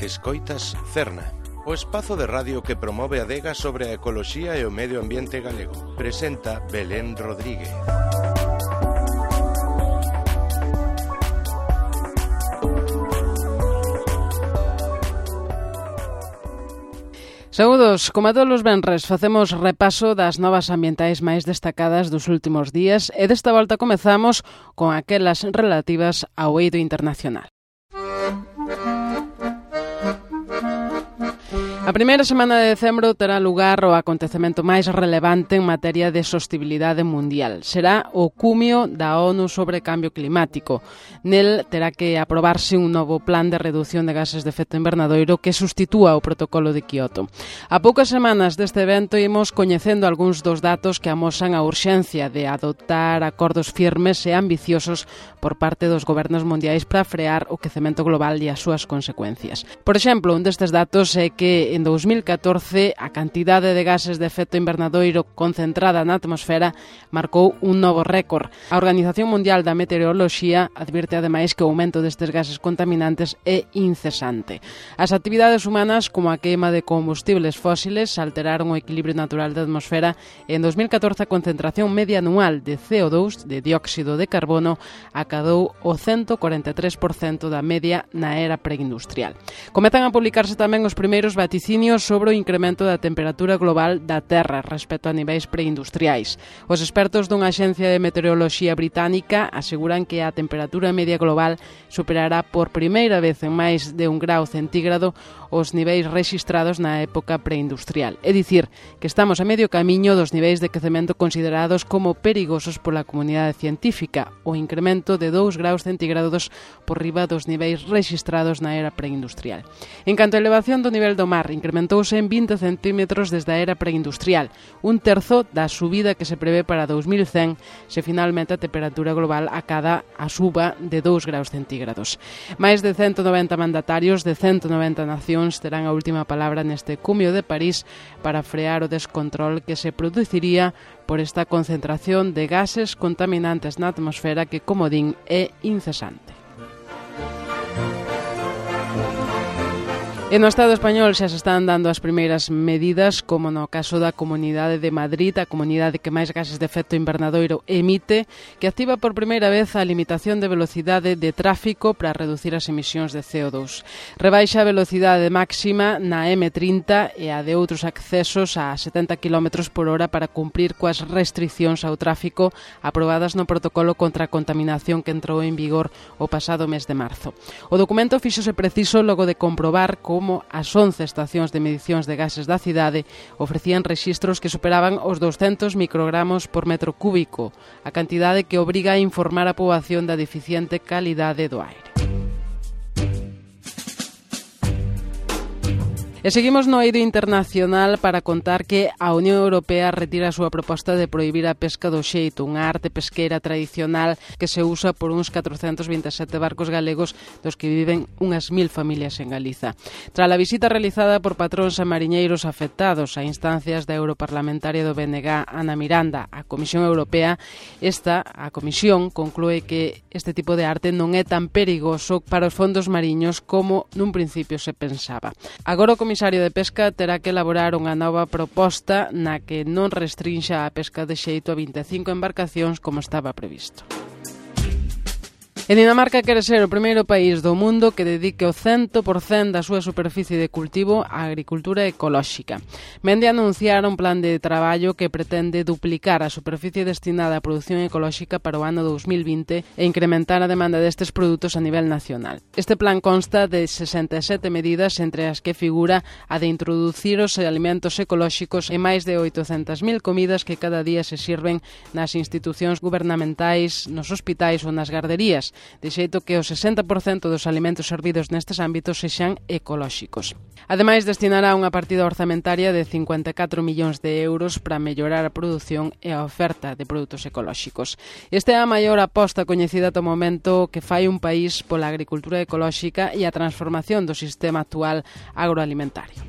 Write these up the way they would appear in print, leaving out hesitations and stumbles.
Escoitas Cerna, o espazo de radio que promove a adega sobre a ecoloxía e o medio ambiente galego. Presenta Belén Rodríguez. Saúdos, como a todos os venres, facemos repaso das novas ambientais máis destacadas dos últimos días e desta volta comezamos con aquelas relativas ao eido internacional. A primeira semana de decembro terá lugar o acontecemento máis relevante en materia de sostibilidade mundial. Será o cumio da ONU sobre cambio climático. Nel terá que aprobarse un novo plan de reducción de gases de efecto invernadoiro que sustitúa o protocolo de Kioto. A poucas semanas deste evento imos coñecendo algúns dos datos que amosan a urxencia de adoptar acordos firmes e ambiciosos por parte dos gobernos mundiais para frear o quecemento global e as súas consecuencias. Por exemplo, un destes datos é que en 2014 a cantidade de gases de efecto invernadoiro concentrada na atmosfera marcou un novo récord. A Organización Mundial da Meteoroloxía advirte ademais que o aumento destes gases contaminantes é incesante. As actividades humanas, como a queima de combustibles fósiles, alteraron o equilibrio natural da atmosfera e en 2014 a concentración media anual de CO2, de dióxido de carbono, acadou o 143% da media na era preindustrial. Comezan a publicarse tamén os primeiros vaticinios sobre o incremento da temperatura global da Terra respecto a niveis preindustriais. Os expertos dunha axencia de meteoroloxía británica aseguran que a temperatura media global superará por primeira vez en máis de 1 grau centígrado os niveis rexistrados na época preindustrial. É dicir, que estamos a medio camiño dos niveis de quecemento considerados como perigosos pola comunidade científica, o incremento de 2 graus centígrados por riba dos niveis rexistrados na era preindustrial. En canto a elevación do nivel do mar, incrementouse en 20 centímetros desde a era preindustrial, un terzo da subida que se prevé para 2100 se finalmente a temperatura global acada a suba de 2 graus centígrados. Máis de 190 mandatarios de 190 nacións terán a última palabra neste cumio de París para frear o descontrol que se produciría por esta concentración de gases contaminantes na atmosfera que, como din, é incesante. E no Estado español xa se están dando as primeiras medidas, como no caso da Comunidade de Madrid, a comunidade que máis gases de efecto invernadoiro emite, que activa por primeira vez a limitación de velocidade de tráfico para reducir as emisións de CO2. Rebaixa a velocidade máxima na M30 e a de outros accesos a 70 km por hora para cumprir coas restriccións ao tráfico aprobadas no protocolo contra a contaminación que entrou en vigor o pasado mes de marzo. O documento fíxose preciso logo de comprobar como as 11 estacións de medicións de gases da cidade ofrecían rexistros que superaban os 200 microgramos por metro cúbico, a cantidade que obriga a informar a poboación da deficiente calidade do aire. E seguimos no eido internacional para contar que a Unión Europea retira a súa proposta de prohibir a pesca do xeito, unha arte pesqueira tradicional que se usa por uns 427 barcos galegos dos que viven unhas 1000 familias en Galiza. Tras a visita realizada por patróns e mariñeiros afectados a instancias da europarlamentaria do BNG, Ana Miranda, a Comisión Europea, a Comisión conclúe que este tipo de arte non é tan perigoso para os fondos mariños como nun principio se pensaba. Agora o Comisario de Pesca terá que elaborar unha nova proposta na que non restrinxa a pesca de xeito a 25 embarcacións como estaba previsto. E Dinamarca quere ser o primeiro país do mundo que dedique o 100% da súa superficie de cultivo á agricultura ecolóxica. Mende anunciar un plan de traballo que pretende duplicar a superficie destinada á produción ecolóxica para o ano 2020 e incrementar a demanda destes produtos a nivel nacional. Este plan consta de 67 medidas, entre as que figura a de introducir os alimentos ecolóxicos e máis de 800.000 comidas que cada día se sirven nas institucións gubernamentais, nos hospitais ou nas garderías, de xeito que o 60% dos alimentos servidos nestes ámbitos sexan ecolóxicos. Ademais, destinará unha partida orzamentaria de 54 millóns de euros para mellorar a produción e a oferta de produtos ecolóxicos. Esta é a maior aposta coñecida ata o momento que fai un país pola agricultura ecolóxica e a transformación do sistema actual agroalimentario.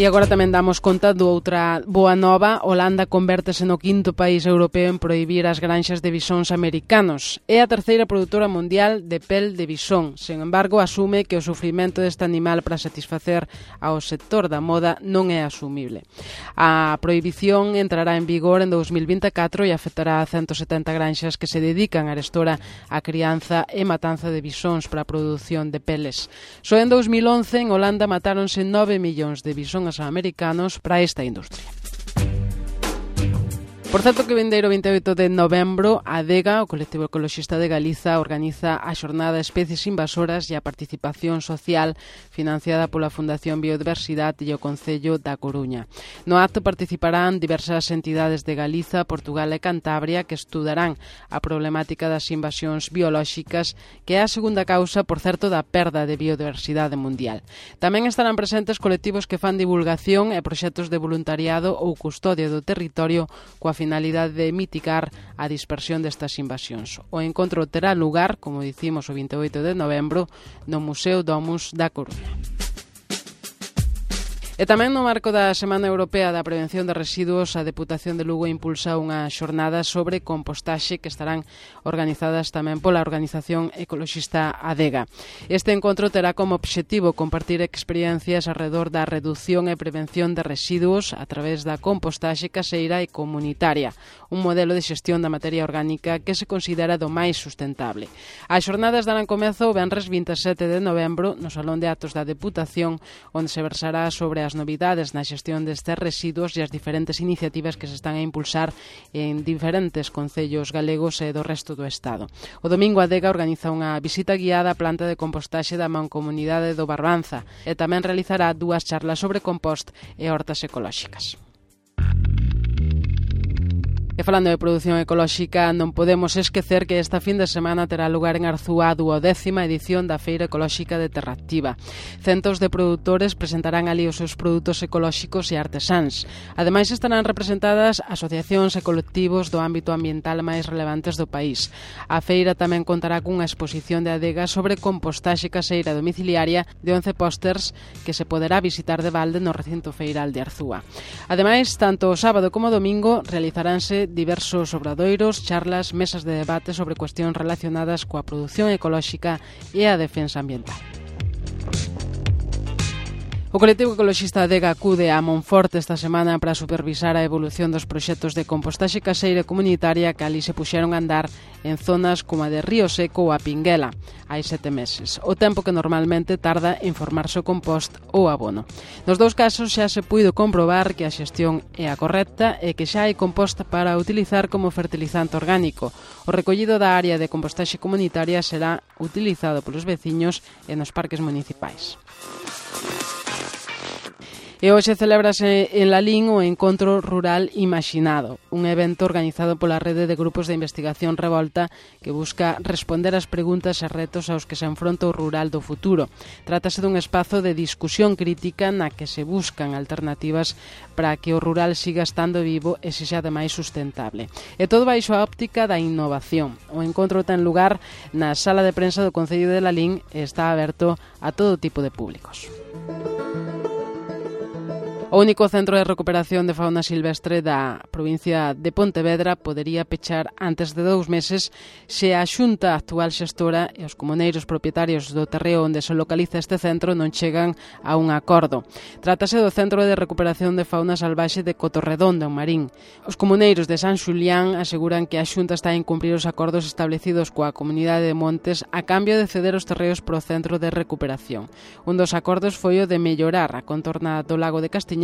E agora tamén damos conta de outra boa nova. Holanda convértese no 5º país europeo en prohibir as granxas de bisóns americanos. É a terceira produtora mundial de pel de bisón. Sen embargo, asume que o sufrimento deste animal para satisfacer ao sector da moda non é asumible. A prohibición entrará en vigor en 2024 e afectará a 170 granxas que se dedican arestora á crianza e matanza de bisóns para a produción de peles. Só en 2011 en Holanda matáronse 9 millóns de bisóns americanos para esta industria. Por certo que vindeiro 28 de novembro a ADEGA, o Colectivo Ecoloxista de Galiza, organiza a xornada Especies Invasoras e a Participación Social financiada pola Fundación Biodiversidade e o Concello da Coruña. No acto participarán diversas entidades de Galiza, Portugal e Cantabria que estudarán a problemática das invasións biolóxicas, que é a segunda causa, por certo, da perda de biodiversidade mundial. Tamén estarán presentes colectivos que fan divulgación e proxectos de voluntariado ou custodia do territorio coa finalidade de mitigar a dispersión destas invasións. O encontro terá lugar, como dicimos, o 28 de novembro no Museo Domus da Coruña. E tamén no marco da Semana Europea da Prevención de Residuos, a Deputación de Lugo impulsa unha xornada sobre compostaxe que estarán organizadas tamén pola organización ecoloxista ADEGA. Este encontro terá como obxectivo compartir experiencias alrededor da reducción e prevención de residuos a través da compostaxe caseira e comunitaria, un modelo de xestión da materia orgánica que se considera do máis sustentable. As xornadas darán comezo o venres 27 de novembro no Salón de Actos da Deputación, onde se versará sobre as novidades na xestión destes residuos e as diferentes iniciativas que se están a impulsar en diferentes concellos galegos e do resto do Estado. O domingo a ADEGA organiza unha visita guiada á planta de compostaxe da Mancomunidade do Barbanza e tamén realizará 2 charlas sobre compost e hortas ecolóxicas. E falando de produción ecolóxica, non podemos esquecer que esta fin de semana terá lugar en Arzúa a 12ª edición da Feira Ecolóxica de Terraactiva. Centos de produtores presentarán ali os seus produtos ecolóxicos e artesáns. Ademais, estarán representadas asociacións e colectivos do ámbito ambiental máis relevantes do país. A feira tamén contará cunha exposición de ADEGA sobre compostaxe caseira domiciliaria de 11 pósters que se poderá visitar de balde no recinto feiral de Arzúa. Ademais, tanto o sábado como o domingo realizaránse diversos obradoiros, charlas, mesas de debate sobre cuestións relacionadas coa produción ecolóxica e a defensa ambiental. O colectivo ecoloxista ADEGA acude a Monforte esta semana para supervisar a evolución dos proxectos de compostaxe caseira comunitaria que ali se puxeron a andar en zonas como a de Río Seco ou a Pinguela hai 7 meses, o tempo que normalmente tarda en formarse o compost ou abono. Nos dous casos xa se puido comprobar que a xestión é a correcta e que xa hai compost para utilizar como fertilizante orgánico. O recollido da área de compostaxe comunitaria será utilizado polos veciños e nos parques municipais. E hoxe celébrase en Lalín o Encontro Rural Imaxinado, un evento organizado pola Rede de Grupos de Investigación Revolta que busca responder ás preguntas e retos aos que se enfronta o rural do futuro. Trátase dun espazo de discusión crítica na que se buscan alternativas para que o rural siga estando vivo e sexa ademais sustentable. E todo baixo a óptica da innovación. O encontro ten lugar na sala de prensa do Concello de Lalín e está aberto a todo tipo de públicos. O único centro de recuperación de fauna silvestre da provincia de Pontevedra podería pechar antes de 2 meses se a Xunta actual xestora e os comuneiros propietarios do terreo onde se localiza este centro non chegan a un acordo. Trátase do Centro de Recuperación de Fauna Salvaxe de Cotorredondo, en Marín. Os comuneiros de San Xulián aseguran que a Xunta está a incumprir os acordos establecidos coa comunidade de Montes a cambio de ceder os terreos pro centro de recuperación. Un dos acordos foi o de mellorar a contorna do lago de Castiñeiras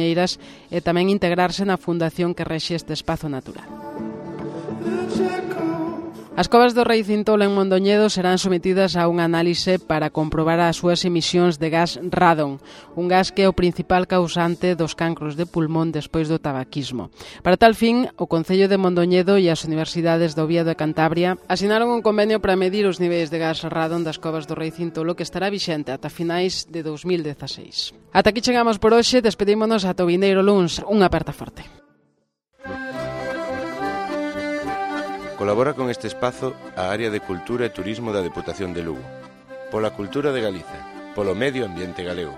e tamén integrarse na fundación que rexe este espazo natural. As covas do Rei Cintolo en Mondoñedo serán sometidas a unha análise para comprobar as súas emisións de gas radon, un gas que é o principal causante dos cancros de pulmón despois do tabaquismo. Para tal fin, o Concello de Mondoñedo e as universidades do Oviedo e Cantabria asinaron un convenio para medir os niveis de gas radon das covas do Rei Cintolo que estará vixente ata finais de 2016. Ata aquí chegamos por hoxe, despedímonos ata o vindeiro luns. Unha aperta forte. Colabora con este espazo a Área de Cultura e Turismo da Deputación de Lugo. Pola cultura de Galiza, polo medio ambiente galego.